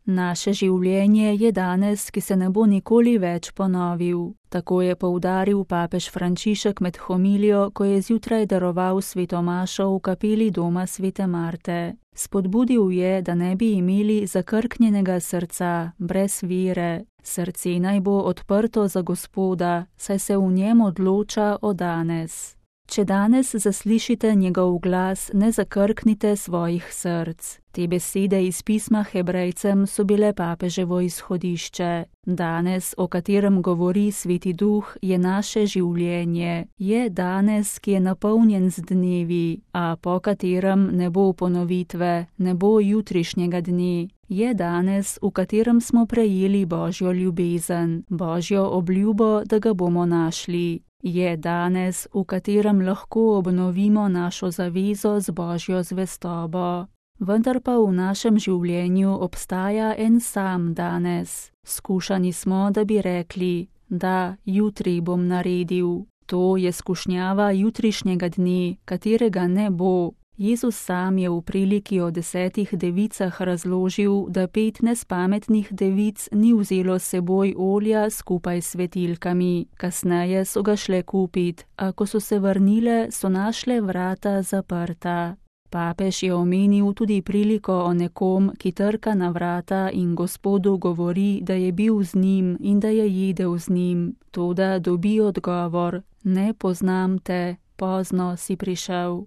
Naše življenje je danes, ki se ne bo nikoli več ponovil. Tako je poudaril papež Frančišek med homilijo, ko je zjutraj daroval sveto mašo v kapeli doma svete Marte. Spodbudil je, da ne bi imeli zakrknjenega srca, brez vere. Srce naj bo odprto za Gospoda, saj se v njem odloča o danes. Če danes zaslišite njegov glas, ne zakrknite svojih src. Te besede iz pisma Hebrejcem so bile papeževo izhodišče. Danes, o katerem govori Sveti Duh, je naše življenje. Je danes, ki je napolnjen z dnevi, a po katerem ne bo ponovitve, ne bo jutrišnjega dne. Je danes, v katerem smo prejeli Božjo ljubezen, Božjo obljubo, da ga bomo našli. Je danes, v katerem lahko obnovimo našo zavezo z Božjo zvestobo. Vendar pa v našem življenju obstaja en sam danes. Skušani smo, da bi rekli, da jutri bom naredil. To je skušnjava jutrišnjega dne, katerega ne bo. Jezus sam je v priliki o 10 devicah razložil, da 5 nespametnih devic ni vzelo s seboj olja skupaj s svetilkami. Kasneje so ga šle kupit, a ko so se vrnile, so našle vrata zaprta. Papež je omenil tudi priliko o nekom, ki trka na vrata in Gospodu govori, da je bil z njim in da je jedel z njim. Toda dobi odgovor: ne poznam te. Pozno si prišel.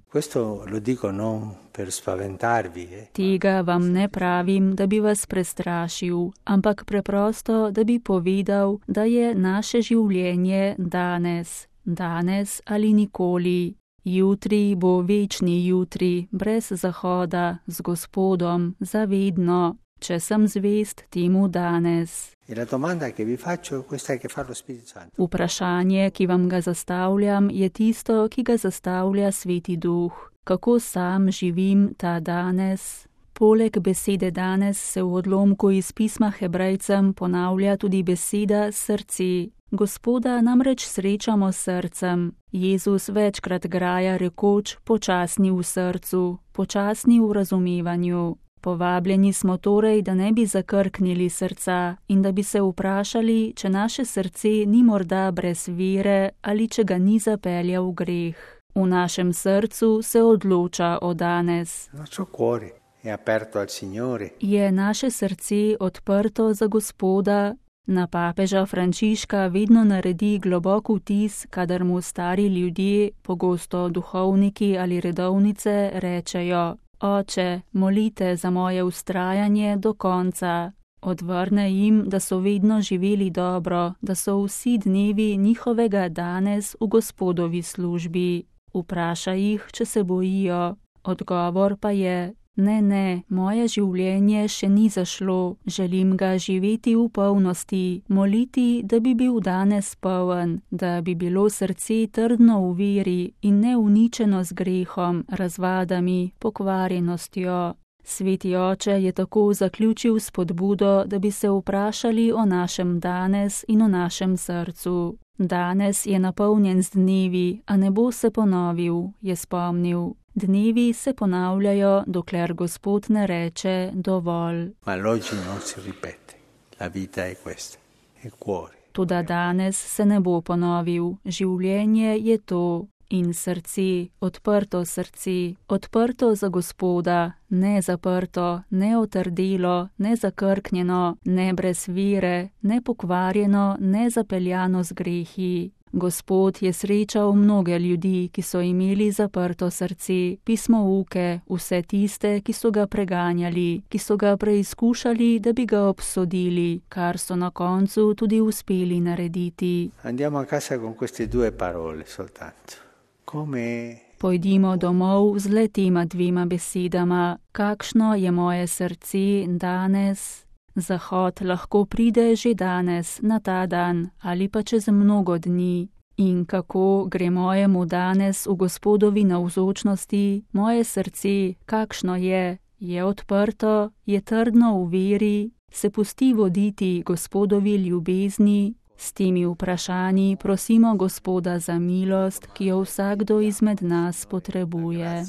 Tega vam ne pravim, da bi vas prestrašil, ampak preprosto, da bi povedal, da je naše življenje danes. Danes ali nikoli. Jutri bo večni jutri, brez zahoda, z Gospodom, zavedno, če sem zvest temu danes. Vprašanje, ki vam ga zastavljam, je tisto, ki ga zastavlja Sveti Duh. Kako sam živim ta danes? Poleg besede danes se v odlomku iz pisma Hebrejcem ponavlja tudi beseda srce. Gospoda namreč srečamo s srcem. Jezus večkrat graja rekoč: počasni v srcu, počasni v razumevanju. Povabljeni smo torej, da ne bi zakrknili srca in da bi se vprašali, če naše srce ni morda brez vere ali če ga ni zapeljal v greh. V našem srcu se odloča o danes. Je naše srce odprto za Gospoda? Na papeža Frančiška vedno naredi globok vtis, kadar mu stari ljudje, pogosto duhovniki ali redovnice, rečejo: Oče, molite za moje vztrajanje do konca. Odvrne jim, da so vedno živeli dobro, da so vsi dnevi njihovega danes v Gospodovi službi. Vpraša jih, če se bojijo. Odgovor pa je: ne, moje življenje še ni zašlo, želim ga živeti v polnosti, moliti, da bi bil danes poln, da bi bilo srce trdno v veri in ne uničeno z grehom, razvadami, pokvarjenostjo. Sveti oče je tako zaključil spodbudo, da bi se vprašali o našem danes in o našem srcu. Danes je napolnjen z dnevi, a ne bo se ponovil, je spomnil. Dnevi se ponavljajo, dokler Gospod ne reče dovolj. Toda danes se ne bo ponovil, življenje je to. In srce, odprto za Gospoda, ne zaprto, ne otrdelo, ne zakrknjeno, ne brez vere, ne pokvarjeno, ne zapeljano z grehi. Gospod je srečal mnoge ljudi, ki so imeli zaprto srce, pismouke, vse tiste, ki so ga preganjali, ki so ga preizkušali, da bi ga obsodili, kar so na koncu tudi uspeli narediti. Andiamo a casa con queste 2 parole soltanto. Pojdimo domov z le tema 2 besedama. Kakšno je moje srce danes? Zahod lahko pride že danes, na ta dan, ali pa čez mnogo dni. In kako gre mojemu danes v Gospodovi navzočnosti, moje srce, kakšno je? Je odprto, je trdno v veri, se pusti voditi Gospodovi ljubezni? S temi vprašanji prosimo Gospoda za milost, ki jo vsakdo izmed nas potrebuje.